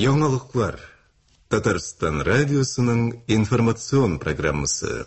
Яңалыклар. Татарстан радиосының информацион программасы.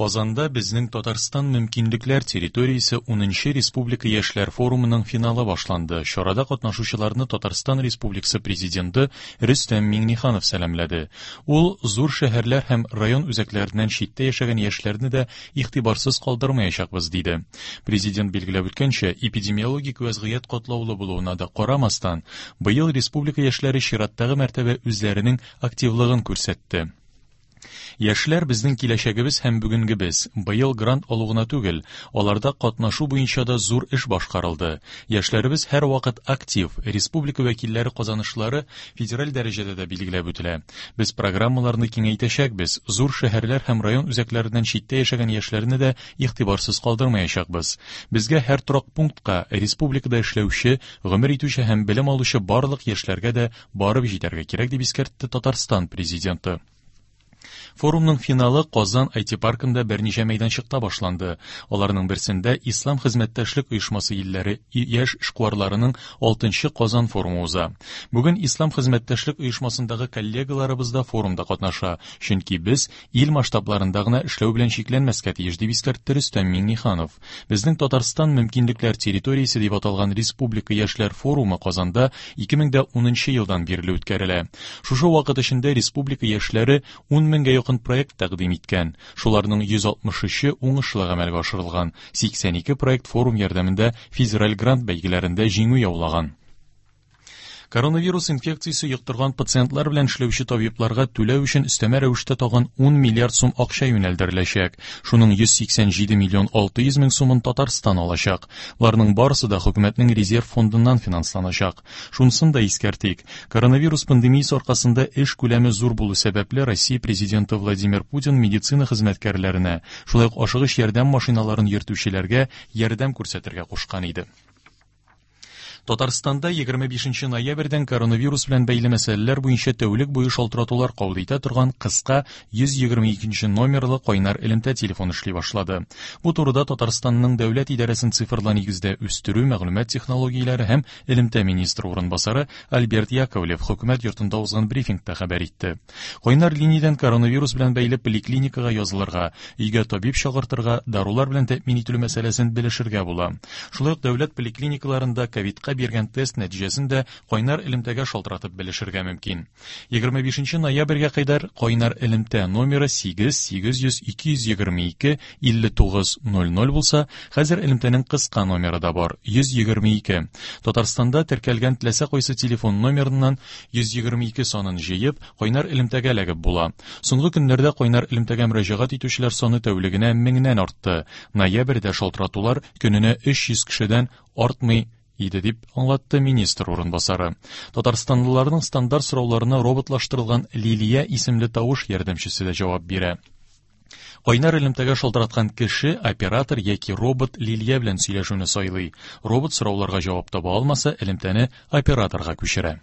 Казанда Безнең Татарстан мөмкинлекләр территориясе унынчы республика яшьләр форумының финалы башланды. Чарада катнашучыларны Татарстан Республикасы Президенты Рөстәм Миңнеханов сәламләде. Ул зур шәһәрләр һәм район үзәкләреннән читтә яшәгән яшьләрне дә игътибарсыз калдырмаячакбыз, диде. Президент билгеләп үткәнчә, эпидемиологик вәзгыять катлаулы булуына да карамастан, быел республика яшьләре чираттагы мәртәбә үзләренең активлыгын күрсәтте. Яшьләр безнең киләчәгебез һәм бүгенгебез. Быел грант алу гына түгел, аларда катнашу буенча да зур эш башкарылды. Яшьләребез һәрвакыт актив, республика вәкилләре казанышлары федераль дәрәҗәдә дә билгеләп үтелә. Без программаларны киңәйтәчәкбез, зур шәһәрләр һәм район үзәкләреннән читтә яшәгән яшьләрне дә игътибарсыз калдырмаячакбыз. Безгә һәр торак пунктка, республикада эшләүче, гомер итүче һәм белем алучы барлык яшьләргә дә барып җитәргә кирәк, дип искәртте Татарстан Президенты. Форумның финалы Казан IT-паркында берничә мәйданчыкта башланды. Аларның берсендә Ислам хезмәттәшлек оешмасы илләре яшь эшкуарларының 6 Казан форумы уза. Бүген Ислам хезмәттәшлек оешмасындагы коллегаларыбыз да форумда катнаша, чөнки без ил масштабларында гына эшләү белән чикләнмәскә тиеш, дип искәртте Рөстәм Миңнеханов. Безнең Татарстан мөмкинлекләр территориясе дип аталган республика яшьләр форумы Казанда 2010 елдан бирле үткәрелә. Шушы вакыт эчендә республика яшьләре 10 меңгә якын проект тәкъдим иткән. Шуларның 163-е уңышлы гамәлгә ашырылган. 82 проект форум ярдәмендә федераль грант бәйгеләрендә җиңү яулаган. Коронавирус инфекциясе йоктырган пациентлар белән эшләүче табибларга түләү өчен өстәмә рәвештә тагын 10 миллиард сум акча юнәлдереләчәк. Шуның 187 миллион 600 мең сумын Татарстан алачак. Боларның барысы да хөкүмәтнең резерв фондыннан финансланачак. Шунысын да искәртик, коронавирус пандемиясе аркасында эш күләме зур булу сәбәпле Россия Президенты Владимир Путин медицина хезмәткәрләренә, шулай ук ашыгыч ярдәм машиналарын йөртүчеләргә ярдәм күрсәтергә кушкан иде. Татарстанда 25 ноябрьдән коронавирус белән бәйле мәсьәләләр буенча тәүлек буе шалтыратулар кабул итә торган кыска 122 номерлы кайнар элемтә телефоны эшли башлады. Бу турыда Татарстанның дәүләт идарәсен цифрлы нигездә үстерү, мәгълүмат технологияләре һәм элемтә министры урынбасары Альберт Яковлев хөкүмәт йортында узган брифингта хәбәр итте. Кайнар линиядән коронавирус белән бәйле поликлиникага язылырга, өйгә табиб чакыртырга, дарулар белән тәэмин ителү мәсьәләсен белешергә була. Шулай ук дәүләт поликлиникаларында ковидка биргән тест нәтиҗәсен дә кайнар элемтәгә шалтыратып белешергә мөмкин. 25 ноябрьгә кадәр кайнар элемтә номеры 8 800 222 59 00 булса, хәзер элемтәнең кыска номеры да бар, 122. Татарстанда теркәлгән теләсә кайсы телефон номерыннан 122 санын җыеп, кайнар элемтәгә эләгеп була. Соңгы көннәрдә кайнар элемтәгә мөрәҗәгать итүчеләр саны тәүлегенә меңнән артты. Ноябрьдә шалтыратулар көненә 300 кешедән артмый иде, дип аңлатты министр урынбасары. Татарстанлыларның стандарт сорауларына роботлаштырылган Лилия исемле тавыш ярдәмчесе дә җавап бирә. Кайнар элемтәгә шалтыраткан кеше оператор яки робот Лилия белән сөйләшүне сайлый. Робот сорауларга җавап таба алмаса, элемтәне операторга күчерә.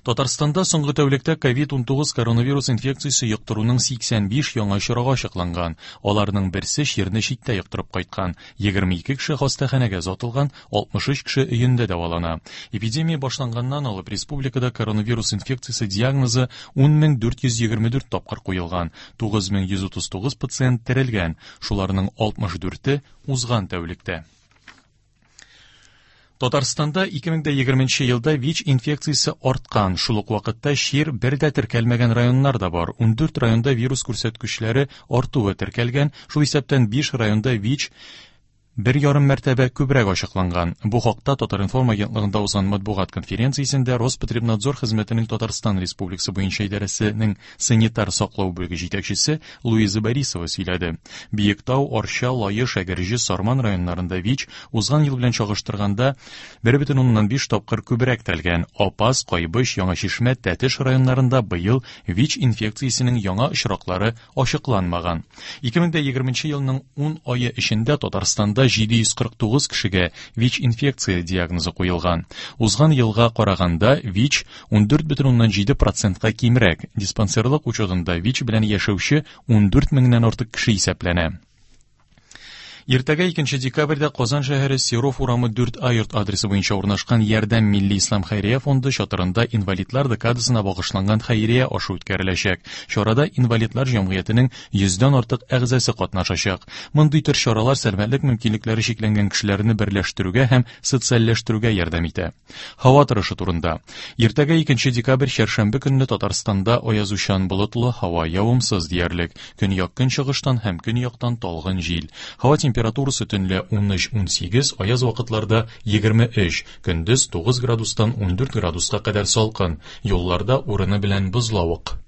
Татарстанда соңгы тәүлектә ковид-19 коронавирус инфекциясе йоктыруның 85 яңа очрагы ачыкланган. Аларның берсе чирне читтә йоктырып кайткан. 22 кеше хастаханәгә озатылган, 63 кеше өендә дәвалана. Эпидемия башланганнан алып республикада коронавирус инфекциясе диагнозы 10424 тапкыр куелган. 9139 пациент терелгән, шуларның 64-е узган тәүлектә. Татарстанда 2020 елда ВИЧ инфекциясе арткан. Шул ук вакытта чир бер дә теркәлмәгән районнар да бар. 14 районда вирус күрсәткечләре артуы теркәлгән, шул исәптән 5 районда ВИЧ бер ярым мәртәбә күбрәк ачыкланган. Бу хакта Татар-информ агентлыгында узган матбугат конференциясендә Роспотребнадзор хезмәтенең Татарстан Республикасы буенча идарәсенең санитар саклау бүлеге җитәкчесе Луиза Борисова сөйләде. Биектау, Арча, Лаеш, Әгерҗе, Сарман районнарында ВИЧ узган ел белән чагыштырганда 1,5 тапкыр күбрәк тәлгән. Апас, Кайбыч, Яңа Чишмә, Тәтеш районнарында быел ВИЧ инфекциясенең яңа очраклары ачыкланмаган. 2020 елның 10 ае эчендә Татарстанда 749 кешегә ВИЧ-инфекция диагнозы куелган. Узган елга караганда ВИЧ 14,7 процентка кимрәк. Диспансерлык учетында ВИЧ белән яшәүче 14 меңнән артык кеше исәпләнә. Иртәгә 2 декабрьдә Казан шәһәре Серов урамы 4А йорт адресы буенча урнашкан Ярдәм милли ислам хәйрия фонды чатырында инвалидлар декадасына багышланган хәйрия ашы үткәреләчәк. Чарада инвалидлар җәмгыятенең йөздән артык әгъзасы катнашачак. Мондый төр чаралар сәламәтлек мөмкинлекләре чикләнгән кешеләрне берләштерүгә һәм социальләштерүгә ярдәм итә. Һава торышы турында. Иртәгә 2 декабрь чәршәмбе көнне Татарстанда аязучан болытлы һава явымсыз диярлек. Көньяк-көнчыгыштан һәм көньяктан талгын җил. Һава температурасы төнлә 13-18, аяз вакытларда 23, көндез 9 градустан 14 градуска кадәр салкын. Юлларда урыны белән бозлавык.